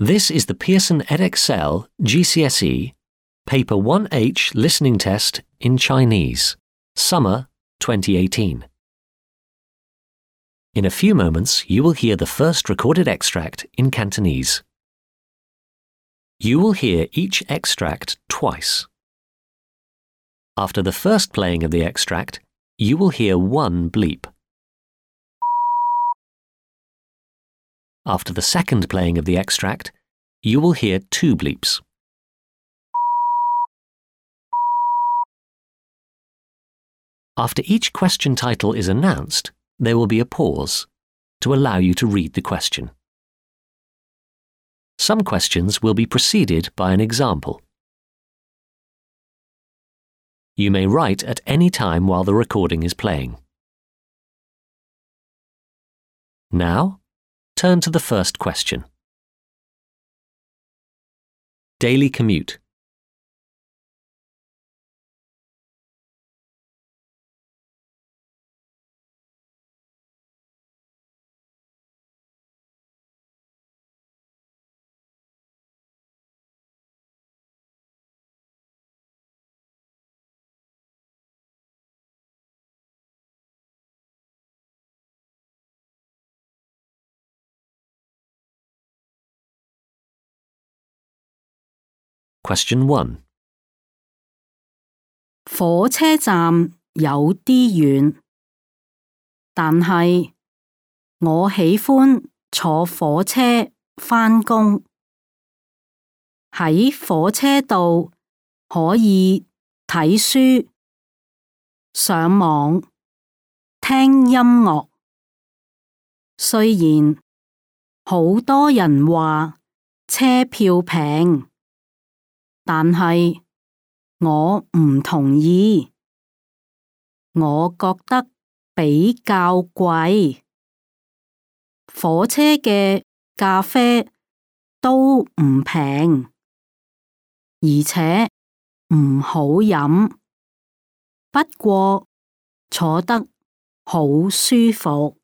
This is the Pearson edXL GCSE Paper 1H Listening Test in Chinese, Summer 2018. In a few moments, you will hear the first recorded extract in Cantonese. You will hear each extract twice. After the first playing of the extract, you will hear one bleep. After the second playing of the extract, you will hear two bleeps. After each question title is announced, there will be a pause to allow you to read the question. Some questions will be preceded by an example. You may write at any time while the recording is playing. Now, turn to the first question. Daily commute. Question 1. 火車站有啲遠，但係我喜歡坐火車返工。喺火車度可以睇書、上網、聽音樂。雖然好多人話車票平，但係我唔同意，我覺得比較貴。火車嘅咖啡都唔平，而且唔好飲，不過坐得好舒服。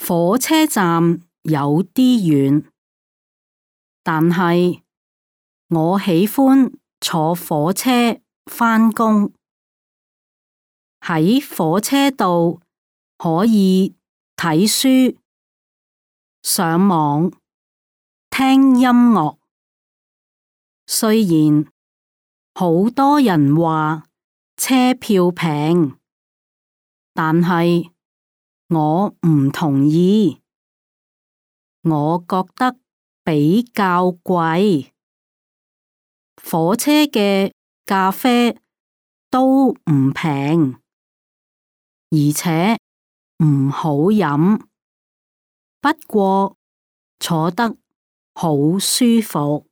火車站有啲遠，但係我喜歡坐火車返工。喺火車度可以睇書、上網、聽音樂。雖然好多人話車票平，但係我唔同意，我覺得比較貴。火車嘅咖啡都唔平，而且唔好飲，不過坐得好舒服。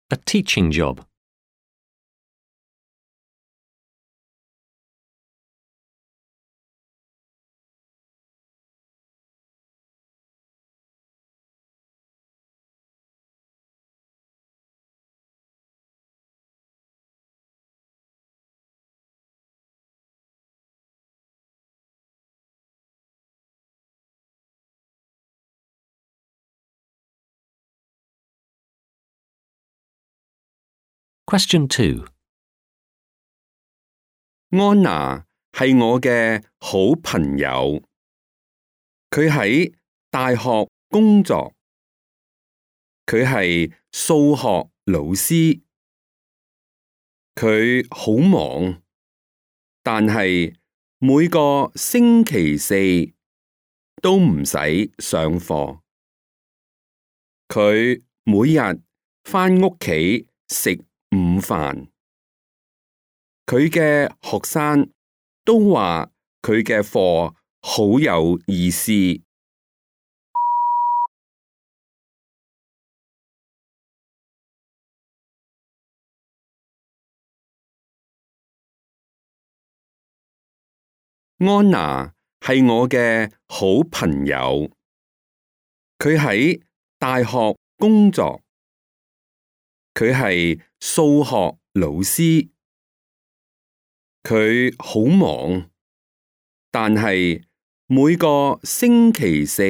A teaching job. Question 2. 安娜係我嘅好朋友，佢喺大學工作，佢係數學老師，佢好忙，但係每個星期四都唔使上課，佢每日返屋企食午飯。佢嘅學生都話佢嘅課好有意思。安娜係我嘅好朋友，佢喺大學工作，佢係數學老師，佢好忙，但係每個星期四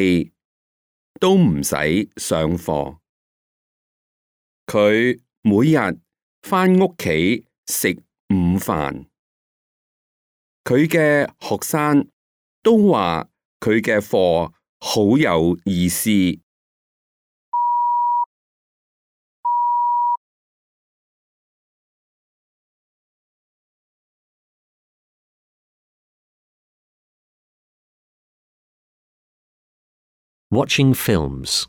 都唔使上課。佢每日返屋企食午飯。佢嘅學生都話佢嘅課好有意思。Watching films.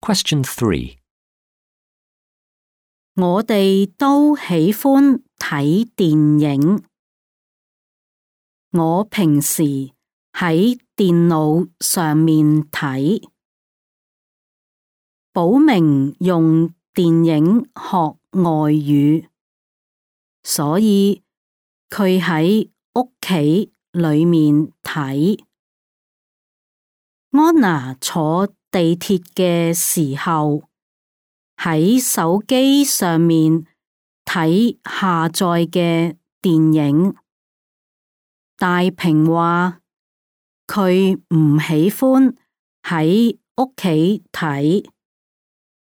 Question 3. 我哋都喜歡睇電影。我平時喺電腦上面睇。寶明用電影學外語，所以佢喺屋企裏面睇。安娜坐地鐵嘅時候，喺手機上面睇下載嘅電影。大平話佢唔喜歡喺屋企睇，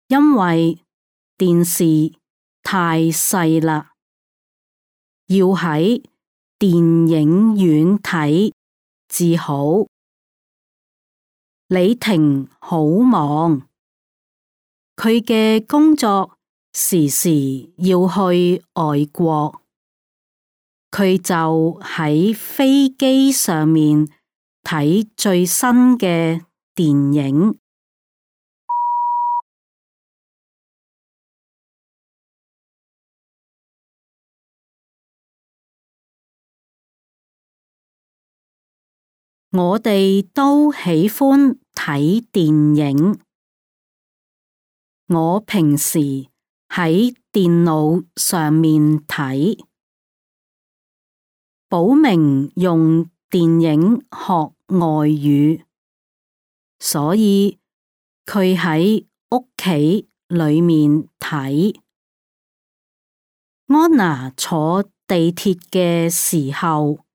因為電視太細啦，要喺電影院睇至好。李婷好忙，佢嘅工作時時要去外國，佢就喺飛機上面睇最新嘅電影。我哋都喜歡睇電影。我平時喺電腦上面睇。寶明用電影學外語，所以佢喺屋企裏面睇。安娜坐地鐵嘅時候，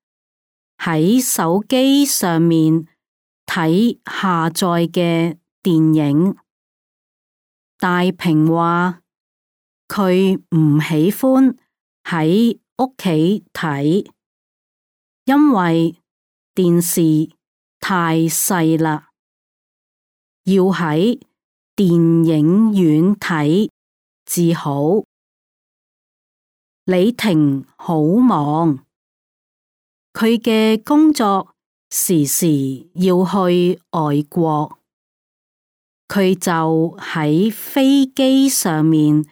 喺手機上面睇下載嘅電影。大平話佢唔喜歡喺屋企睇，因為電視太細啦，要喺電影院睇至好。李婷好忙，佢嘅工作時時要去外國，佢就喺飛機上面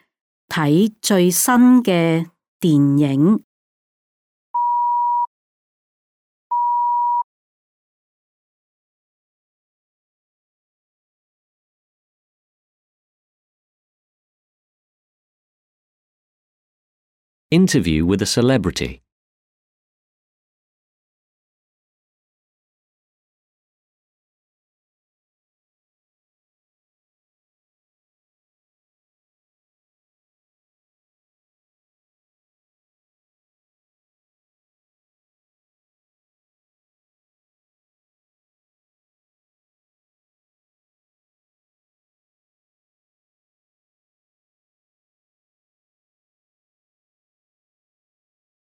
睇最新嘅電影。Interview with a celebrity.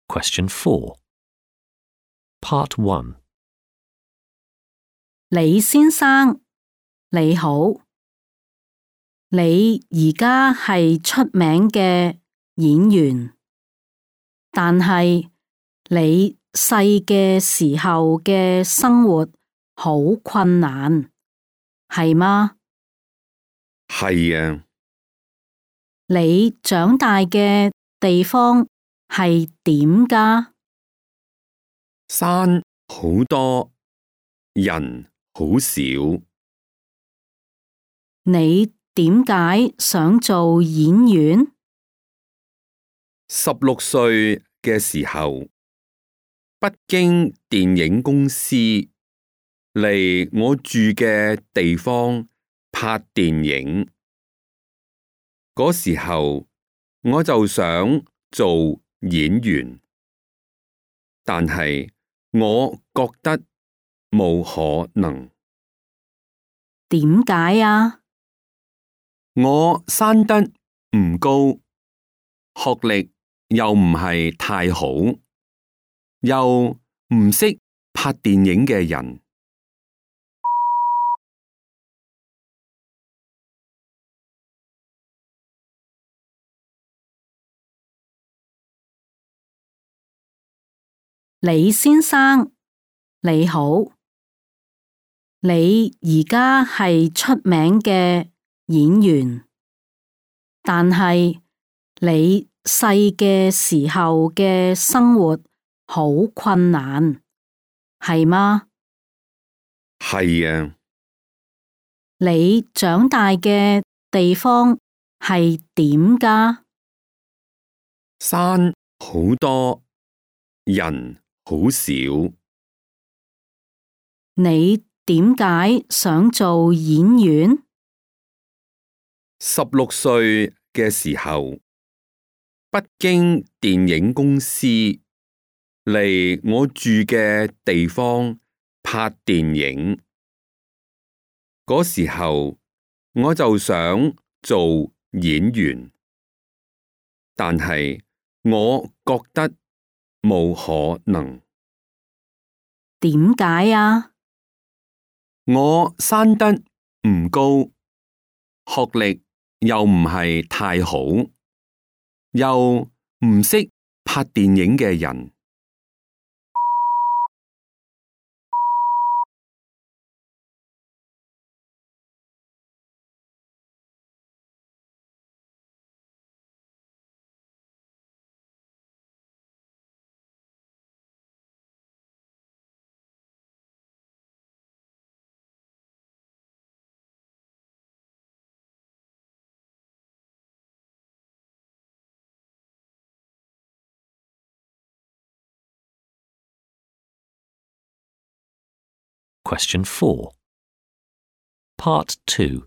Question 4. Part 1. 李先生，你好，你而家係出名嘅演員，但係你細嘅時候嘅生活好困難，係嗎？係啊，你長大嘅地方係點㗎？山好多，人好少。你點解想做演員16歲嘅時候，北京電影公司嚟我住嘅地方拍電影。嗰時候我就想做演員，但係我覺得冇可能。點解啊？我生得唔高，學歷又唔係太好，又唔識拍電影嘅人。李先生，你好，你而家係出名嘅演員，但係你細嘅時候嘅生活好困難，係嗎？係啊，你長大嘅地方係點㗎？山好多，人好少。你點解想做演員16歲嘅時候，北京電影公司嚟我住嘅地方拍電影。嗰時候我就想做演員，但係我覺得冇可能。點解啊？我生得唔高，學歷又唔係太好，又唔識拍電影嘅人。Question 4. Part 2.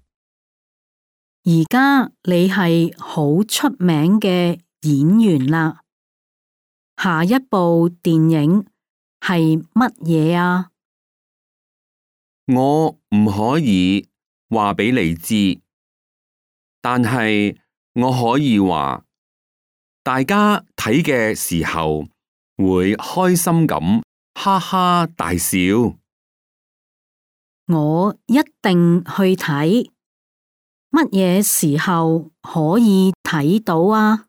而家你係好出名嘅演員啦，下一部電影係乜嘢啊？我唔可以話俾你知，但係我可以話，大家睇嘅時候會開心咁哈哈大笑。我一定去睇，乜嘢時候可以睇到啊？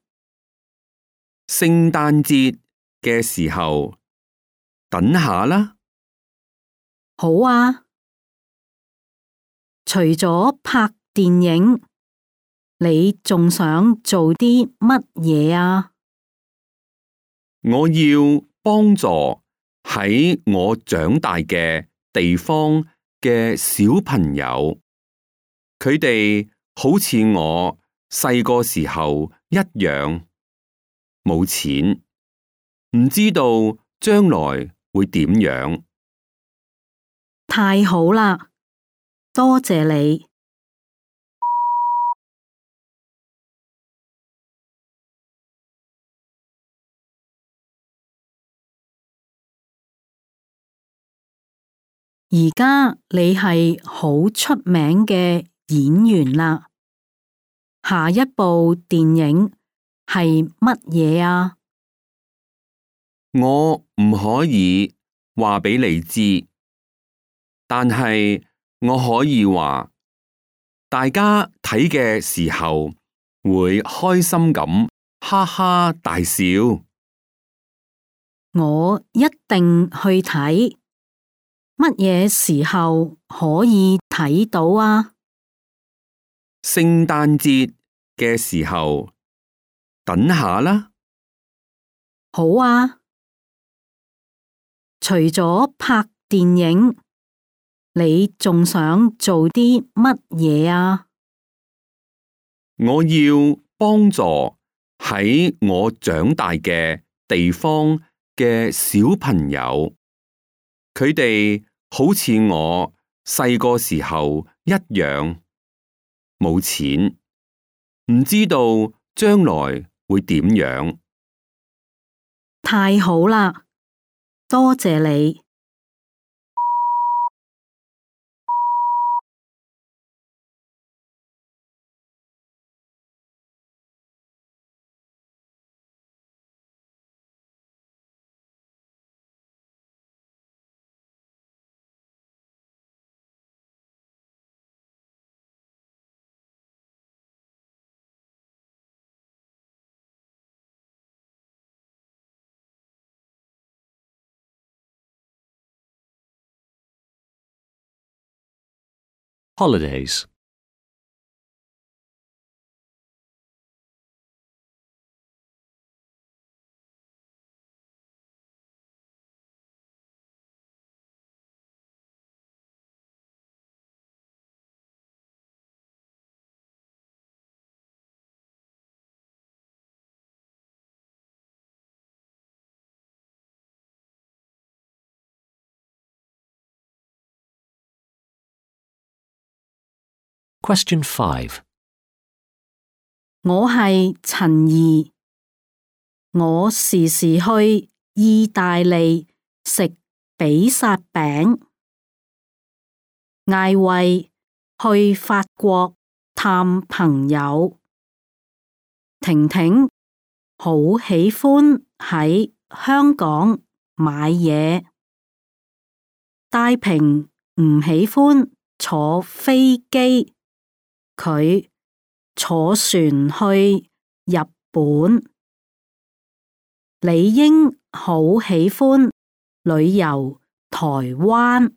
聖誕節嘅時候，等下啦。好啊！除咗拍電影，你仲想做啲乜嘢啊？我要幫助喺我長大嘅地方嘅小朋友，佢哋好似我細個時候一樣，冇錢，唔知道將來會點樣。太好啦，多謝你。而家你係好出名嘅演員啦，下一部電影係乜嘢啊？我唔可以話俾你知，但係我可以話，大家睇嘅時候會開心咁哈哈大笑。我一定去睇。乜嘢時候可以睇到啊？聖誕節嘅時候，等下啦。好啊。除咗拍電影，你仲想做啲乜嘢啊？我要幫助喺我長大嘅地方嘅小朋友，佢哋好似我細個時候一樣，冇錢，唔知道將來會點樣。太好啦，多謝你。Holidays. Question 5. 我係陳怡，我時時去意大利食比薩餅，艾慧去法國探朋友，婷婷好喜歡喺香港買嘢，戴平唔喜歡坐飛機，佢坐船去日本。李英好喜歡旅遊台灣。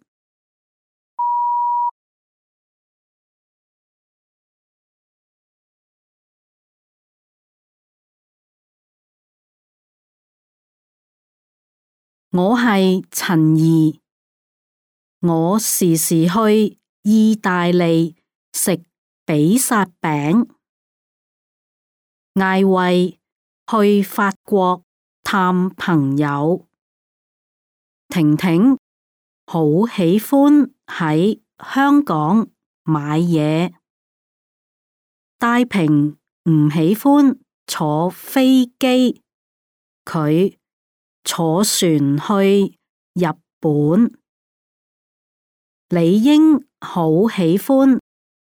我係陳怡，我時時去意大利食比薩餅，艾慧去法國探朋友，婷婷好喜歡喺香港買嘢，戴平唔喜歡坐飛機，佢坐船去日本。李英好喜歡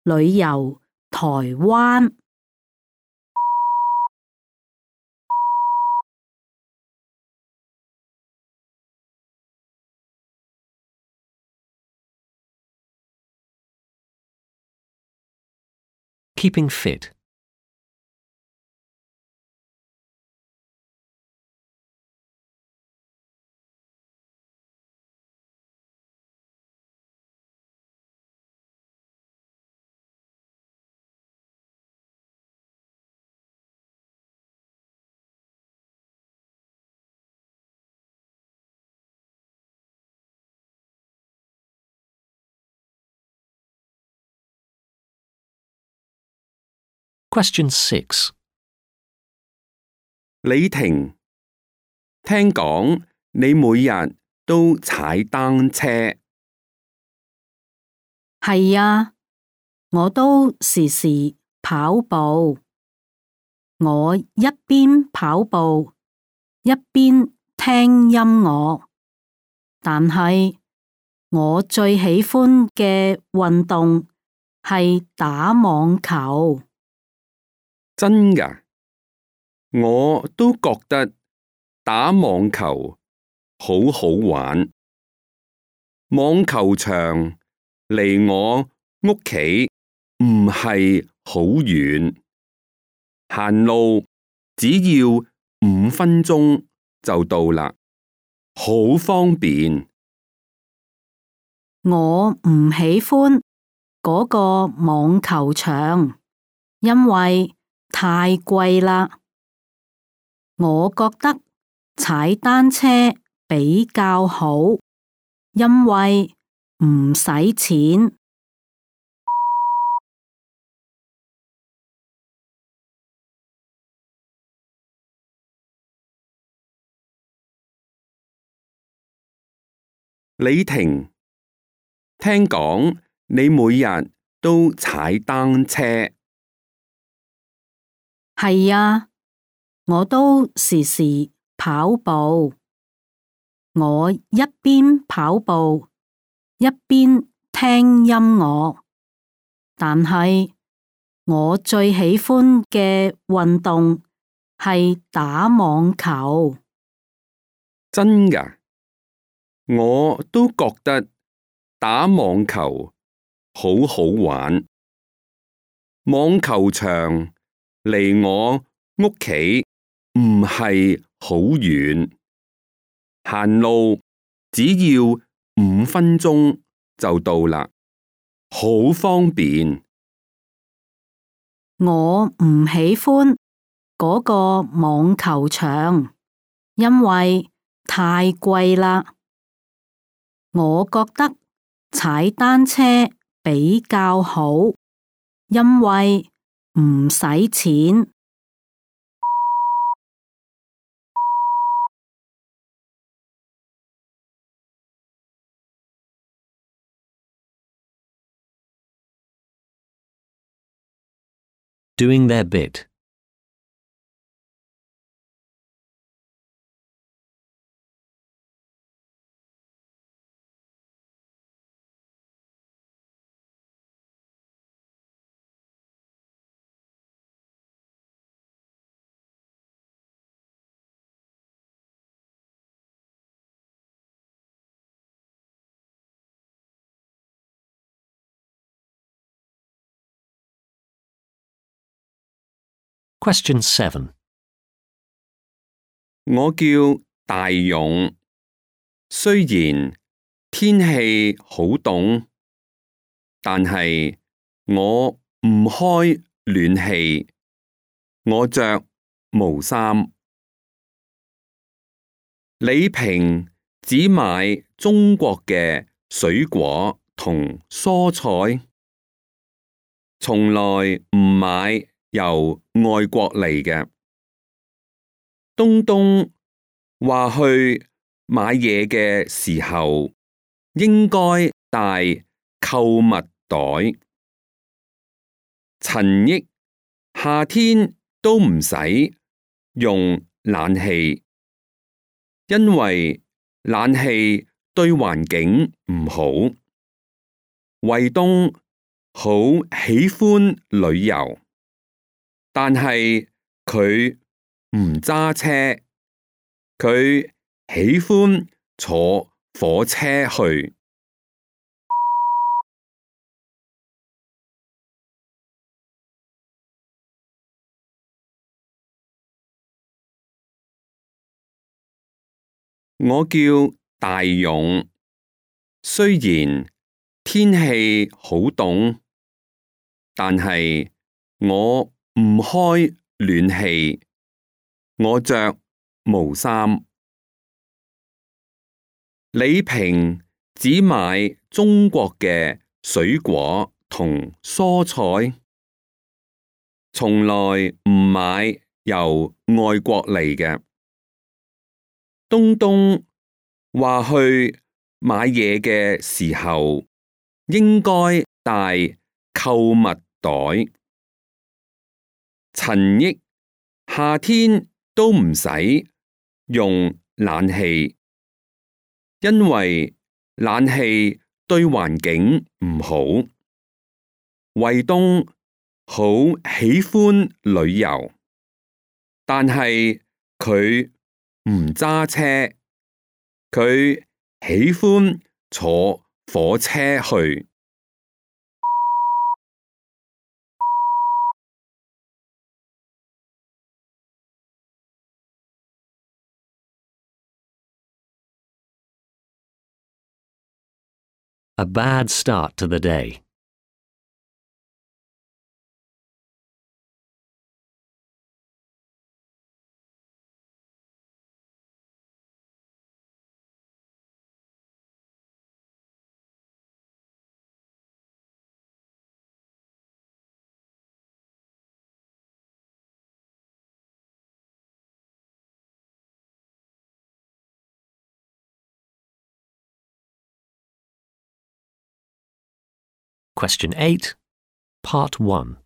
旅遊台灣。Keeping fit. Question 6. 李婷，聽講你每日都踩單車。係啊，我都時時跑步。我一邊跑步一邊聽音樂，但係我最喜歡嘅運動係打網球。真㗎？我都覺得打網球好好玩。網球場離我屋企唔係好遠，行路只要5分鐘就到啦。好方便。我唔喜歡嗰個網球場，因為太貴啦。我覺得踩單車比較好，因為唔使錢。李婷，聽講你每日都踩單車。係啊，我都時時跑步。我一邊跑步，一邊聽音樂。但係我最喜歡嘅運動係打網球。真㗎，我都覺得打網球好好玩。網球場離我屋企唔係好遠，行路只要5分鐘就到啦，好方便。我唔喜歡嗰個網球場，因為太貴啦。我覺得踩單車比較好，因為唔使錢。Doing their bit. Question 7. 我叫大勇，雖然天氣好凍，但係我唔開暖氣，我着毛衫。李平只買中國嘅水果同蔬菜，從來唔買由外國嚟嘅。東東話去買嘢嘅時候應該帶購物袋。陳憶夏天都唔使用冷氣，因為冷氣對環境唔好。衛東好喜歡旅遊，但係佢唔揸車，佢喜歡坐火車去。我叫大勇，雖然天氣好凍，但係我唔開暖氣，我着毛衫。李平只買中國嘅水果同蔬菜，從來唔買由外國嚟嘅。東東話去買嘢嘅時候應該帶購物袋。陳憶夏天都唔使用冷氣，因為冷氣對環境唔好。衛東好喜歡旅遊，但係佢唔揸車，佢喜歡坐火車去。A bad start to the day. Question 8, Part 1.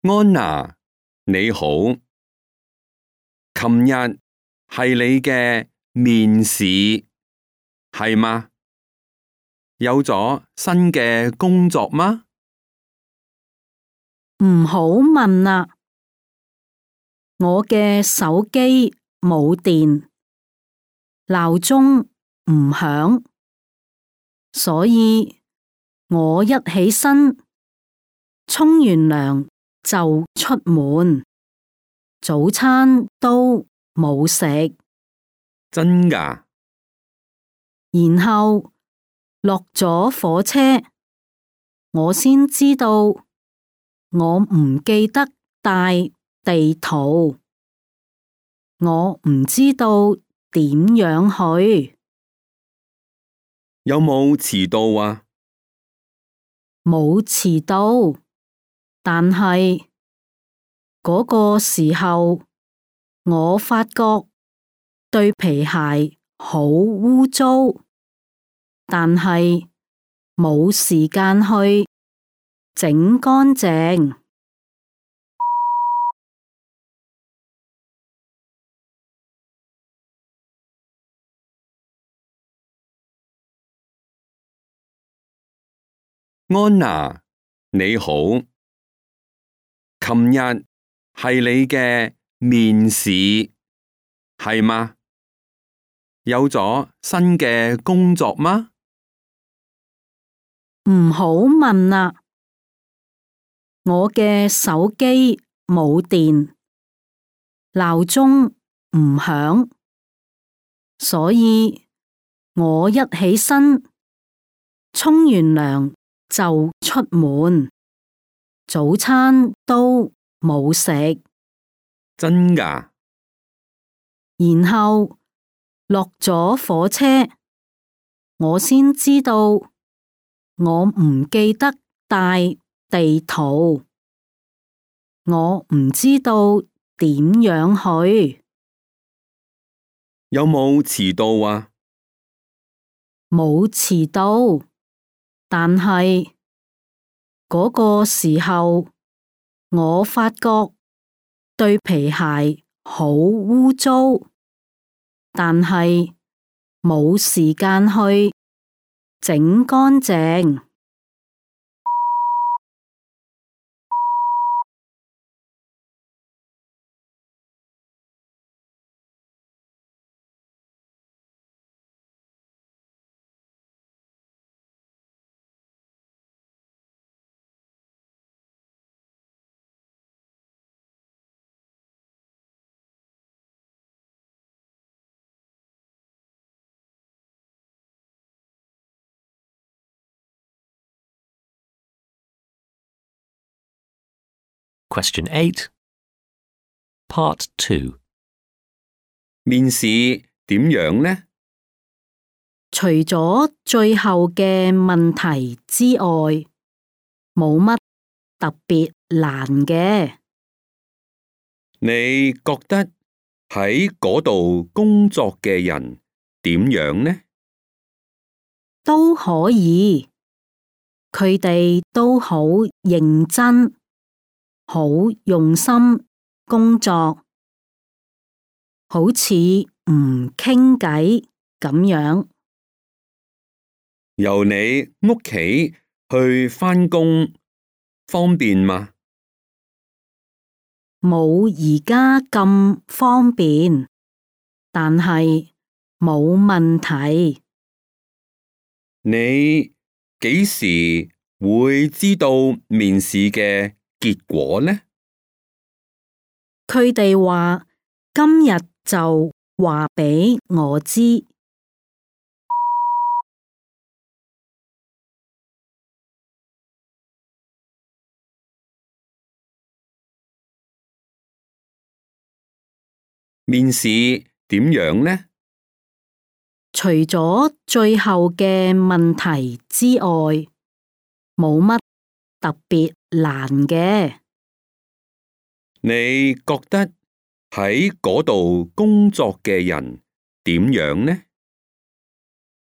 安娜，你好，琴日係你嘅面試，係嗎？有咗新嘅工作嗎？唔好問啦，我嘅手機冇電，鬧鐘唔響，所以我一起身，沖完涼就出門，早餐都冇食，真㗎？然後落咗火車，我先知道我唔記得帶地圖，我唔知道點樣去，有冇遲到啊？冇遲到，但係嗰個時候我發覺對皮鞋好污糟，但係冇時間去整乾淨。安娜，你好，琴日係你嘅面試，係嗎？有咗新嘅工作嗎？唔好問啦，我嘅手機冇電，鬧鐘唔響，所以我一起身，沖完涼就出門，早餐都冇食，真㗎？然後落咗火車，我先知道我唔記得帶地圖，我唔知道點樣去，有冇遲到啊？冇遲到，但係嗰個時候我發覺對皮鞋好污糟，但係冇時間去整乾淨。Question 8, Part 2. 面試點樣呢？除咗最後嘅問題之外，冇乜特別難嘅。你覺得喺嗰度工作嘅人點樣呢？都可以，佢哋都好認真，好用心工作，好似唔傾偈咁樣。由你屋企去返工方便嗎？冇而家咁方便，但係冇問題。你幾時會知道面試嘅結果呢？佢哋話今日就話畀我知。面試點樣呢？除咗最後嘅問題之外，冇乜特別難嘅。你覺得喺嗰度工作嘅人點樣呢？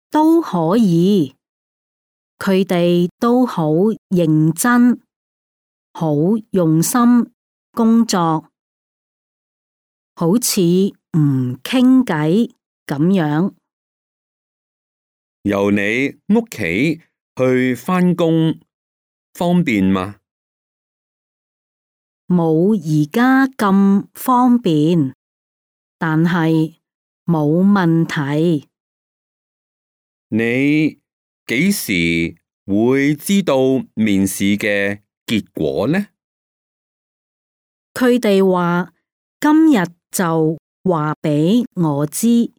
都可以，佢哋都好認真，好用心工作，好似唔傾偈咁樣。由你屋企去返工方便嗎？冇而家咁方便，但係冇問題。你幾時會知道面試嘅結果呢？佢哋話今日就話俾我知。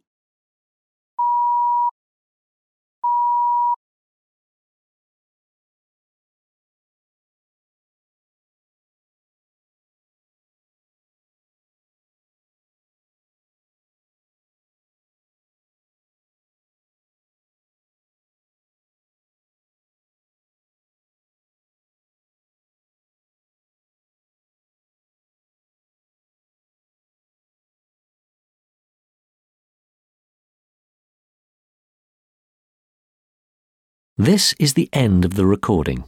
This is the end of the recording.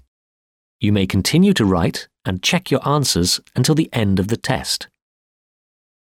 You may continue to write and check your answers until the end of the test.